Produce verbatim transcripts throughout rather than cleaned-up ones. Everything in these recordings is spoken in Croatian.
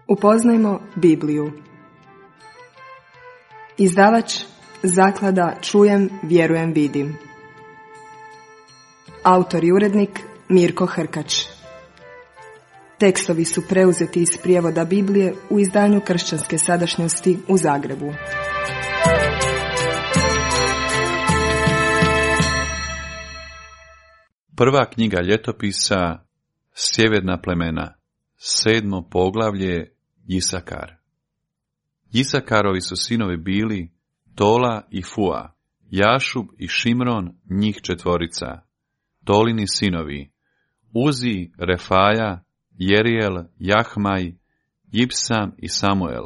Upoznajmo Bibliju. Izdavač Zaklada Čujem, vjerujem, vidim. Autor i urednik Mirko Hrkač. Tekstovi su preuzeti iz prijevoda Biblije u izdanju Kršćanske sadašnjosti u Zagrebu. Prva knjiga ljetopisa, Sjeverna plemena, sedmo poglavlje, Isakar. Isakarovi su sinovi bili Tola i Fua, Jašub i Šimron, njih četvorica. Tolini sinovi, Uzi, Refaja, Jerijel, Jahmaj, Jipsam i Samuel,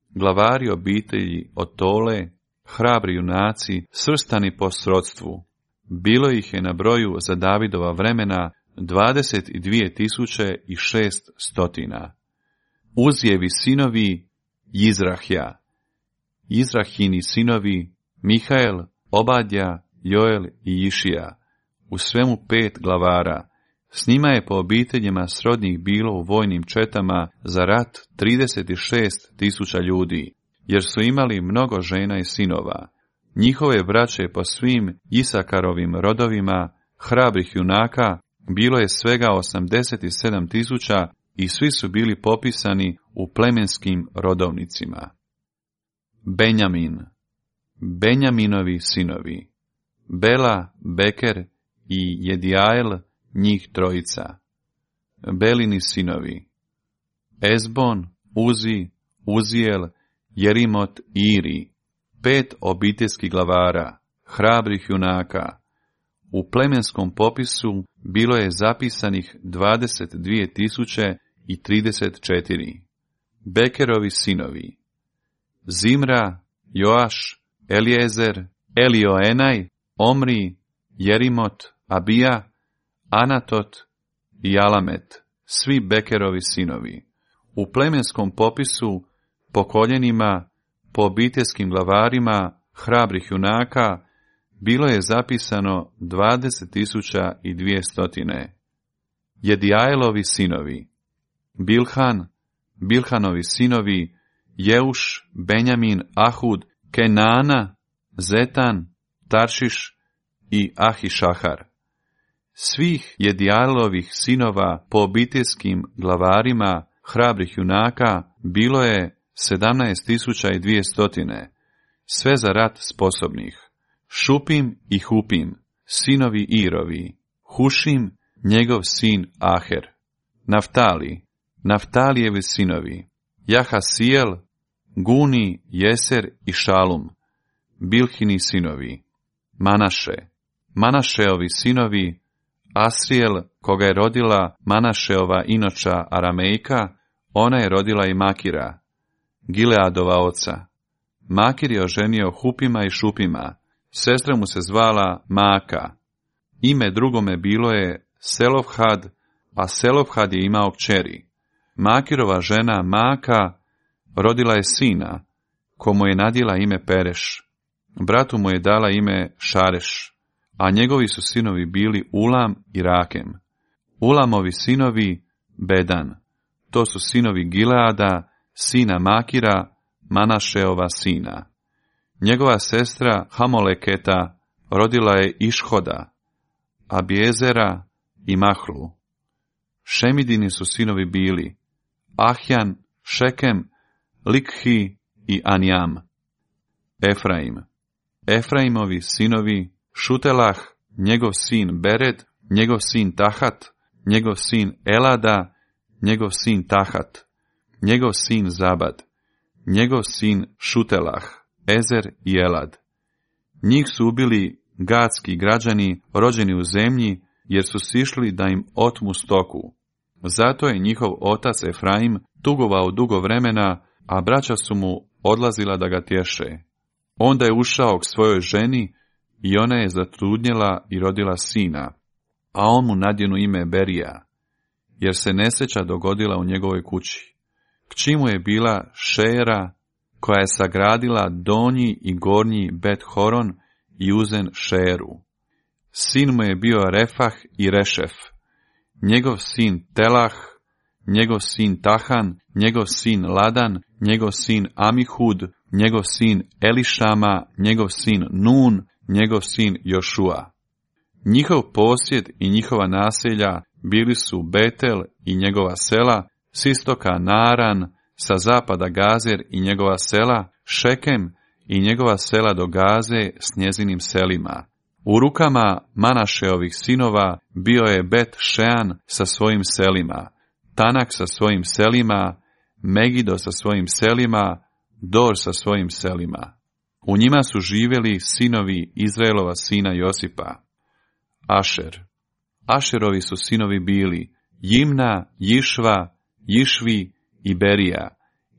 glavari obitelji od Tole, hrabri junaci, svrstani po srodstvu. Bilo ih je na broju za Davidova vremena dvadeset dvije tisuće i šest stotina. Uzijevi sinovi, Jizrahja, Jizrahini sinovi, Mihael, Obadja, Joel i Išija, u svemu pet glavara. S njima je po obiteljima srodnih bilo u vojnim četama za rat trideset šest tisuća ljudi, jer su imali mnogo žena i sinova. Njihove braće po svim Isakarovim rodovima, hrabrih junaka, bilo je svega osamdeset sedam tisuća i svi su bili popisani u plemenskim rodovnicima. Benjamin, Benjaminovi sinovi, Bela, Beker i Jedijael, njih trojica. Belini sinovi, Ezbon, Uzi, Uzijel, Jerimot i Iri, pet obiteljskih glavara, hrabrih junaka. U plemenskom popisu bilo je zapisanih dvadeset dvije tisuće i trideset četiri. Bekerovi sinovi, Zimra, Joaš, Eliezer, Elioenaj, Omri, Jerimot, Abija, Anatot i Alamet, svi Bekerovi sinovi. U plemenskom popisu, po koljenima, po obiteljskim glavarima, hrabrih junaka, bilo je zapisano dvadeset tisuća i dvije stotine. Jedijajlovi sinovi, Bilhan, Bilhanovi sinovi, Jeuš, Benjamin, Ahud, Kenana, Zetan, Taršiš i Ahišahar. Svih Jedijajlovih sinova po obiteljskim glavarima, hrabrih junaka, bilo je sedamnaest tisuća i dvije stotine, sve za rat sposobnih. Šupim i Hupim, sinovi Irovi, Hušim, njegov sin Aher. Naftali, Naftalijevi sinovi, Jahasijel, Guni, Jeser i Šalum, Bilhini sinovi. Manaše, Manašeovi sinovi, Asrijel, koga je rodila Manašeova inoča Aramejka, ona je rodila i Makira, Gileadova oca. Makir je oženio Hupima i Šupima, sestra mu se zvala Maka. Ime drugome bilo je Selofhad, a Selofhad je imao kćeri. Makirova žena Maka rodila je sina, komu je nadjela ime Pereš. Bratu mu je dala ime Šareš, a njegovi su sinovi bili Ulam i Rakem. Ulamovi sinovi Bedan, to su sinovi Gileada, sina Makira, Manašeova sina. Njegova sestra Hamoleketa rodila je Išhoda, Abiezera i Mahlu. Šemidini su sinovi bili Ahjan, Šekem, Likhi i Anjam. Efraim, Efraimovi sinovi Šutelah, njegov sin Bered, njegov sin Tahat, njegov sin Elada, njegov sin Tahat, njegov sin Zabad, njegov sin Šutelah, Ezer i Elad. Njih su ubili gadski građani rođeni u zemlji, jer su sišli da im otmu stoku. Zato je njihov otac Efraim tugovao dugo vremena, a braća su mu odlazila da ga tješe. Onda je ušao k svojoj ženi i ona je zatrudnjela i rodila sina, a on mu nadjenu ime Berija, jer se nesreća dogodila u njegovoj kući. Kći mu je bila Šera, koja je sagradila donji i gornji Bet Horon i uzen Šeru. Sin mu je bio Refah i Rešef, njegov sin Telah, njegov sin Tahan, njegov sin Ladan, njegov sin Amihud, njegov sin Elišama, njegov sin Nun, njegov sin Jošua. Njihov posjed i njihova naselja bili su Betel i njegova sela, s istoka Naran, sa zapada Gazer i njegova sela, Šekem i njegova sela do Gaze s njezinim selima. U rukama Manašeovih sinova bio je Bet Šean sa svojim selima, Tanak sa svojim selima, Megido sa svojim selima, Dor sa svojim selima. U njima su živjeli sinovi Izraelova sina Josipa. Ašer. Ašerovi su sinovi bili Jimna, Jišva, Jišvi i Berija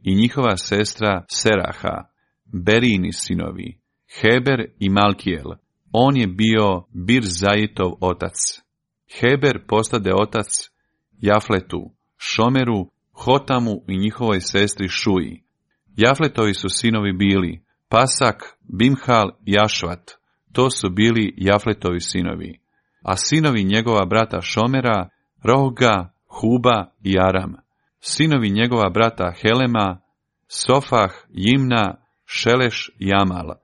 i njihova sestra Seraha, Berijini sinovi, Heber i Malkijel. On je bio Birzajitov otac. Heber postade otac Jafletu, Šomeru, Hotamu i njihovoj sestri Šuji. Jafletovi su sinovi bili Pasak, Bimhal i Ašvat. To su bili Jafletovi sinovi. A sinovi njegova brata Šomera, Rohga, Huba i Aram. Sinovi njegova brata Helema, Sofah, Jimna, Šeleš i Amal.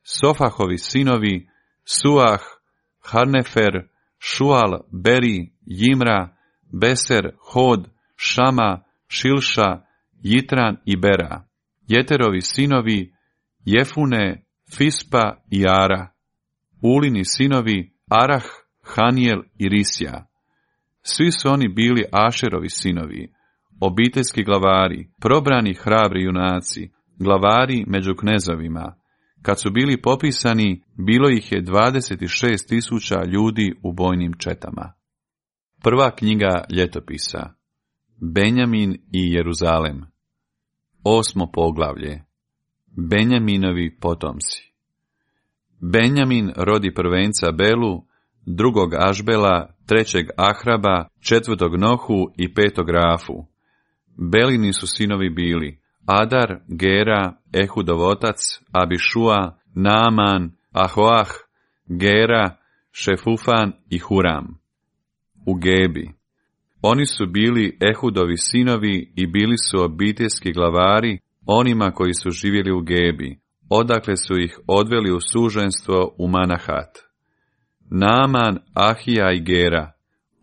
Sofahovi sinovi, Suah, Harnefer, Šual, Beri, Jimra, Beser, Hod, Šama, Šilša, Jitran i Bera. Jeterovi sinovi, Jefune, Fispa i Ara. Ulini sinovi, Arah, Hanijel i Risja. Svi su oni bili Ašerovi sinovi, obiteljski glavari, probrani hrabri junaci, glavari među knezovima. Kad su bili popisani, bilo ih je dvadeset šest tisuća ljudi u bojnim četama. Prva knjiga ljetopisa. Benjamin i Jeruzalem. Osmo poglavlje. Benjaminovi potomci. Benjamin rodi prvenca Belu, drugog Ašbela, trećeg Ahraba, četvrtog Nohu i petog Rafu. Belini su sinovi bili Adar, Gera, Ehudov otac, Abišua, Naaman, Ahoah, Gera, Šefufan i Huram. U Gebi. Oni su bili Ehudovi sinovi i bili su obiteljski glavari onima koji su živjeli u Gebi, odakle su ih odveli u suženstvo u Manahat. Naaman, Ahija i Gera.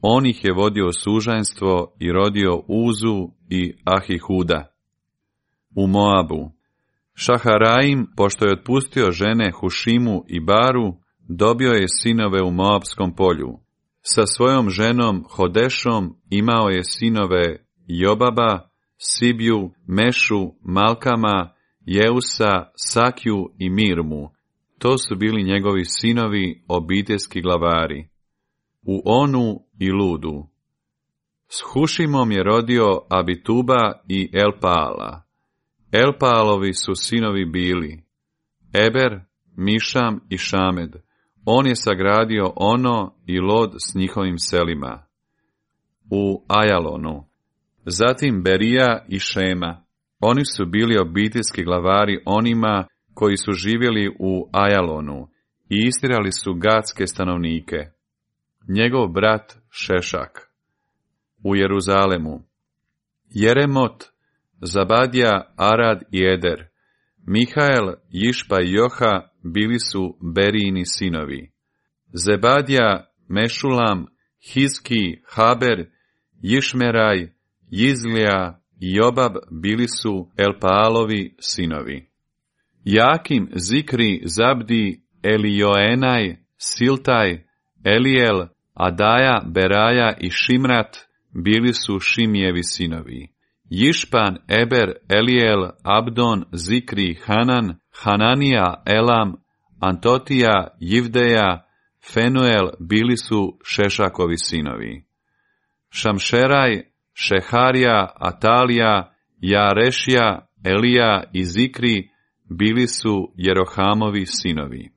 On ih je vodio suženstvo i rodio Uzu i Ahihuda. U Moabu. Šaharaim, pošto je otpustio žene Hušimu i Baru, dobio je sinove u Moabskom polju. Sa svojom ženom Hodešom imao je sinove Jobaba, Sibju, Mešu, Malkama, Jeusa, Sakju i Mirmu. To su bili njegovi sinovi, obiteljski glavari. U Onu i Ludu. S Hušimom je rodio Abituba i Elpaala. Elpaalovi su sinovi bili Eber, Mišam i Šamed. On je sagradio Ono i Lod s njihovim selima. U Ajalonu. Zatim Berija i Šema. Oni su bili obiteljski glavari onima koji su živjeli u Ajalonu i istirali su gatske stanovnike. Njegov brat Šešak. U Jeruzalemu. Jeremot, Zabadija, Arad i Eder. Mihael, Jišpa i Joha bili su Berijini sinovi. Zebadija, Mešulam, Hizki, Haber, Jišmeraj, Jizlija i Jobab bili su Elpaalovi sinovi. Jakim, Zikri, Zabdi, Elijoenaj, Siltaj, Elijel, Adaja, Beraja i Šimrat bili su Šimijevi sinovi. Jišpan, Eber, Elijel, Abdon, Zikri, Hanan, Hananija, Elam, Antotija, Jivdeja, Fenuel bili su Šešakovi sinovi. Šamšeraj, Šeharija, Atalija, Jarešija, Elija i Zikri bili su Jerohamovi sinovi.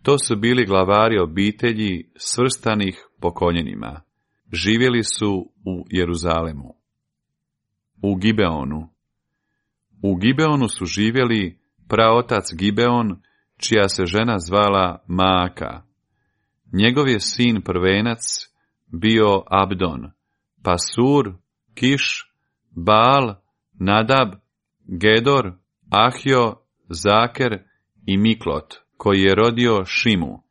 To su bili glavari obitelji svrstanih po koljenima. Živjeli su u Jeruzalemu. U Gibeonu. U Gibeonu su živjeli praotac Gibeon, čija se žena zvala Maaka. Njegov je sin prvenac bio Abdon, Pasur, Kiš, Baal, Nadab, Gedor, Ahio, Zaker i Miklot, koji je rodio Šimu,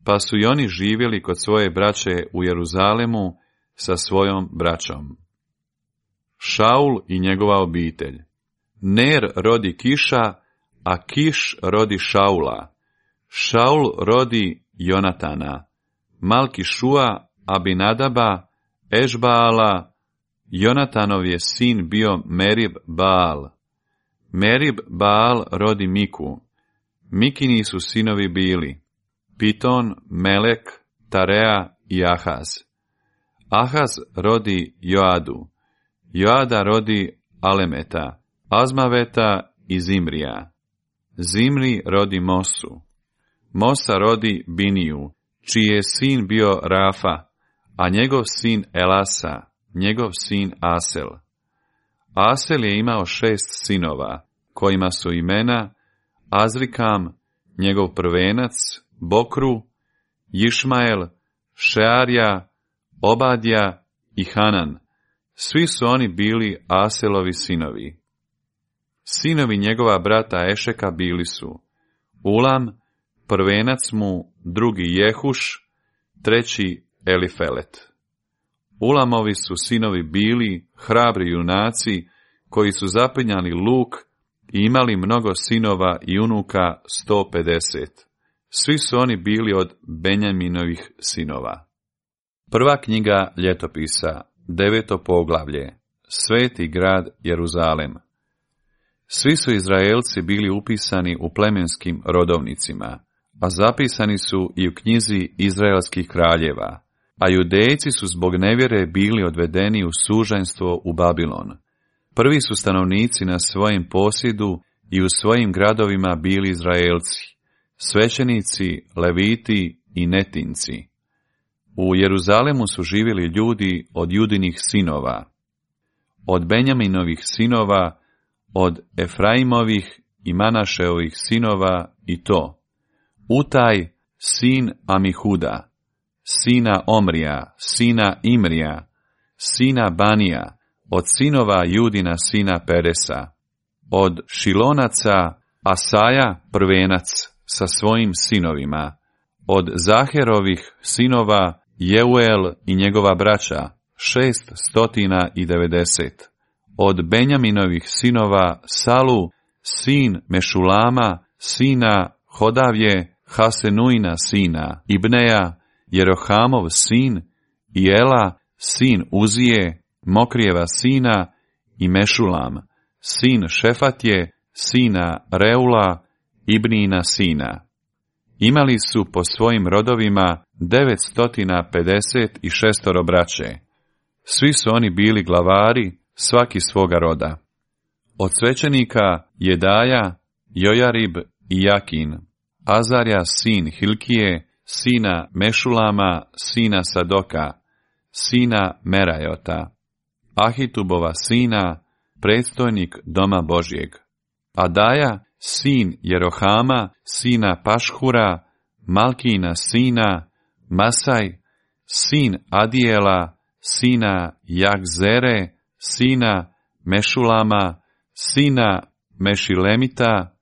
pa su i oni živjeli kod svoje braće u Jeruzalemu sa svojom braćom. Šaul i njegova obitelj. Ner rodi Kiša, a Kiš rodi Šaula. Šaul rodi Jonatana, Malkišua, Abinadaba, Ešbaala. Jonatanov je sin bio Merib Baal. Merib Baal rodi Miku. Mikini su sinovi bili Piton, Melek, Tarea i Ahaz. Ahaz rodi Joadu. Joada rodi Alemeta, Azmaveta i Zimrija. Zimri rodi Mosu. Mosa rodi Biniju, čiji je sin bio Rafa, a njegov sin Elasa, njegov sin Asel. Asel je imao šest sinova, kojima su imena Azrikam, njegov prvenac, Bokru, Išmael, Šearja, Obadja i Hanan. Svi su oni bili Aselovi sinovi. Sinovi njegova brata Ešeka bili su Ulam, prvenac mu, drugi Jehuš, treći Elifelet. Ulamovi su sinovi bili hrabri junaci, koji su zapinjali luk i imali mnogo sinova i unuka sto pedeset. Svi su oni bili od Benjaminovih sinova. Prva knjiga ljetopisa, deveto poglavlje, Sveti grad Jeruzalem. Svi su Izraelci bili upisani u plemenskim rodovnicima, a zapisani su i u knjizi Izraelskih kraljeva, a Judejci su zbog nevjere bili odvedeni u suženstvo u Babilon. Prvi su stanovnici na svojem posjedu i u svojim gradovima bili Izraelci, svećenici, leviti i netinci. U Jeruzalemu su živjeli ljudi od Judinih sinova, od Benjaminovih sinova, od Efraimovih i Manašeovih sinova i to: Utaj, sin Amihuda, sina Omrija, sina Imrija, sina Banija, od sinova Judina sina Peresa, od Šilonaca Asaja prvenac sa svojim sinovima, od Zaherovih sinova Jeuel i njegova braća, šest stotina i devedeset, od Benjaminovih sinova Salu, sin Mešulama, sina Hodavje, Hasenuina sina Ibneja, Jerohamov sin, i Ela, sin Uzije, Mokrijeva sina, i Mešulam, sin Šefatje, sina Reula, Ibnina sina. Imali su po svojim rodovima devetstotina pedeset i šestoro braće. Svi su oni bili glavari, svaki svoga roda. Od svećenika Jedaja, Jojarib i Jakin, Azarja sin Hilkije, sina Mešulama, sina Sadoka, sina Merajota, Ahitubova sina, predstojnik doma Božjeg, Adaja, sin Jerohama, sina Pašhura, Malkina sina, Masaj, sin Adijela, sina Jagzere, sina Mešulama, sina Mešilemita,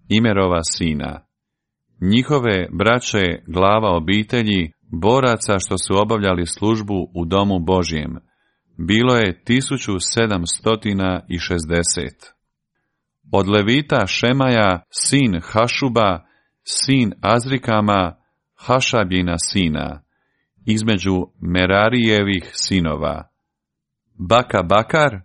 Imerova sina. Njihove braće glava obitelji, boraca što su obavljali službu u domu Božjem, bilo je tisuću sedamsto šezdeset. Od Levita Šemaja, sin Hašuba, sin Azrikama, Hašabjina sina, između Merarijevih sinova, Baka Bakar,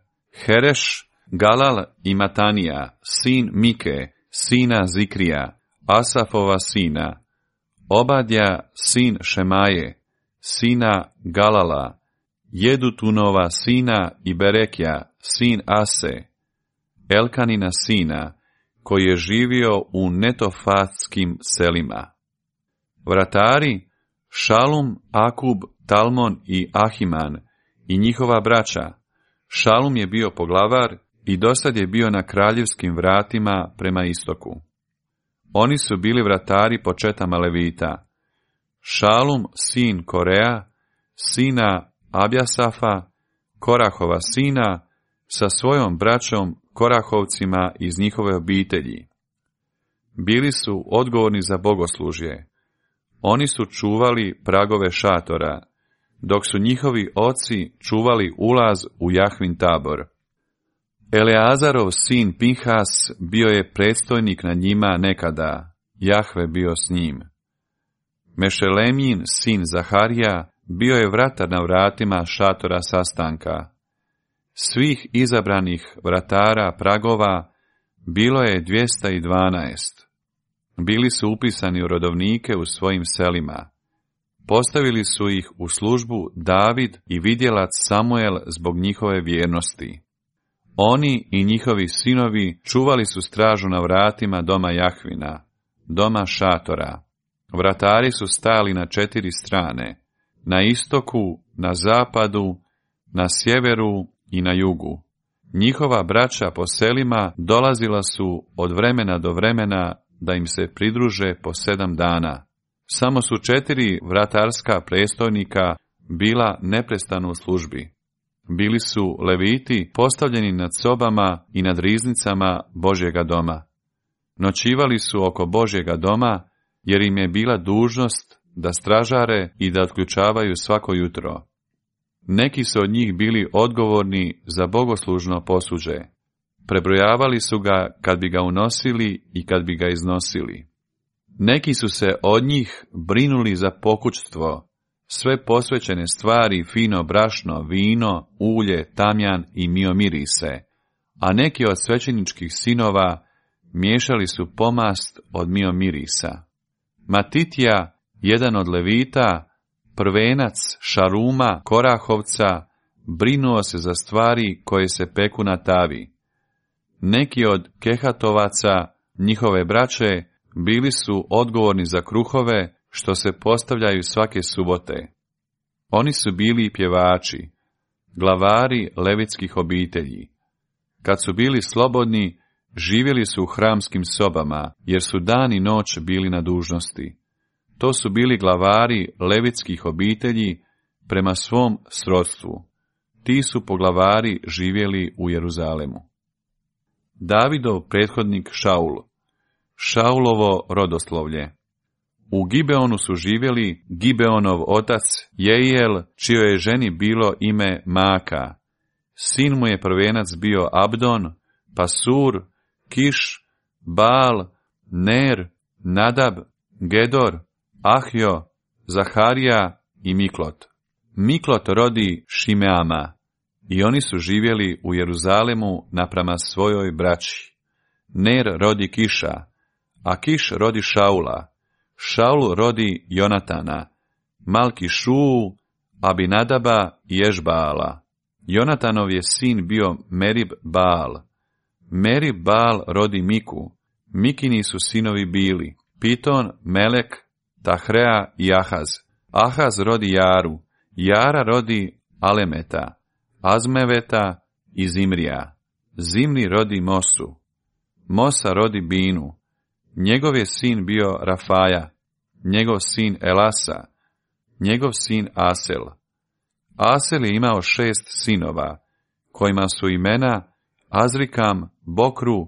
Hereš, Galal i Matanija, sin Mike, sina Zikrija, Asafova sina, Obadja, sin Šemaje, sina Galala, Jedutunova sina i Berekja, sin Ase, Elkanina sina, koji je živio u netofatskim selima. Vratari, Šalum, Akub, Talmon i Ahiman i njihova braća. Šalum je bio poglavar i dosad je bio na kraljevskim vratima prema istoku. Oni su bili vratari po četama Levita. Šalum, sin Korea, sina Abjasafa, Korahova sina, sa svojom braćom Korahovcima iz njihove obitelji. Bili su odgovorni za bogoslužje. Oni su čuvali pragove šatora, dok su njihovi oci čuvali ulaz u Jahvin tabor. Eleazarov sin Pinhas bio je predstojnik nad njima nekada, Jahve bio s njim. Mešelemijin sin Zaharija bio je vratar na vratima šatora sastanka. Svih izabranih vratara pragova bilo je dvjesto dvanaest. Bili su upisani u rodovnike u svojim selima. Postavili su ih u službu David i vidjelac Samuel zbog njihove vjernosti. Oni i njihovi sinovi čuvali su stražu na vratima doma Jahvina, doma šatora. Vratari su stajali na četiri strane, na istoku, na zapadu, na sjeveru i na jugu. Njihova braća po selima dolazila su od vremena do vremena da im se pridruže po sedam dana. Samo su četiri vratarska predstojnika bila neprestano u službi. Bili su leviti postavljeni nad sobama i nad riznicama Božjega doma. Noćivali su oko Božjega doma, jer im je bila dužnost da stražare i da otključavaju svako jutro. Neki su od njih bili odgovorni za bogoslužno posuđe. Prebrojavali su ga kad bi ga unosili i kad bi ga iznosili. Neki su se od njih brinuli za pokućstvo, sve posvećene stvari, fino brašno, vino, ulje, tamjan i miomirise, a neki od svećeničkih sinova miješali su pomast od miomirisa. Matitija, jedan od levita, prvenac Šaruma, Korahovca, brinuo se za stvari koje se peku na tavi. Neki od Kehatovaca, njihove braće, bili su odgovorni za kruhove što se postavljaju svake subote. Oni su bili pjevači, glavari levitskih obitelji. Kad su bili slobodni, živjeli su u hramskim sobama, jer su dan i noć bili na dužnosti. To su bili glavari levitskih obitelji prema svom srodstvu. Ti su poglavari živjeli u Jeruzalemu. Davidov prethodnik Šaul, Šaulovo rodoslovlje. U Gibeonu su živjeli Gibeonov otac Jeiel, čijoj je ženi bilo ime Maka. Sin mu je prvenac bio Abdon, Pasur, Kiš, Baal, Ner, Nadab, Gedor, Ahjo, Zaharija i Miklot. Miklot rodi Šimeama i oni su živjeli u Jeruzalemu naprama svojoj braći. Ner rodi Kiša, a Kiš rodi Šaula. Šaul rodi Jonatana, Malki-Šuu, Abinadaba i Ešbaala. Jonatanov je sin bio Merib Baal. Merib Baal rodi Miku. Mikini su sinovi bili Piton, Melek, Tahrea i Ahaz. Ahaz rodi Jaru. Jara rodi Alemeta, Azmeveta i Zimrija. Zimri rodi Mosu. Mosa rodi Binu. Njegov je sin bio Rafaja, njegov sin Elasa, njegov sin Asel. Asel je imao šest sinova, kojima su imena Azrikam, Bokru,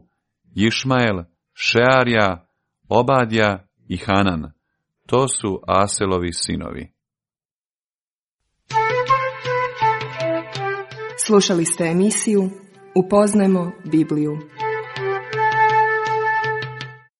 Išmael, Šearja, Obadja i Hanan. To su Aselovi sinovi. Slušali ste emisiju Upoznajmo Bibliju.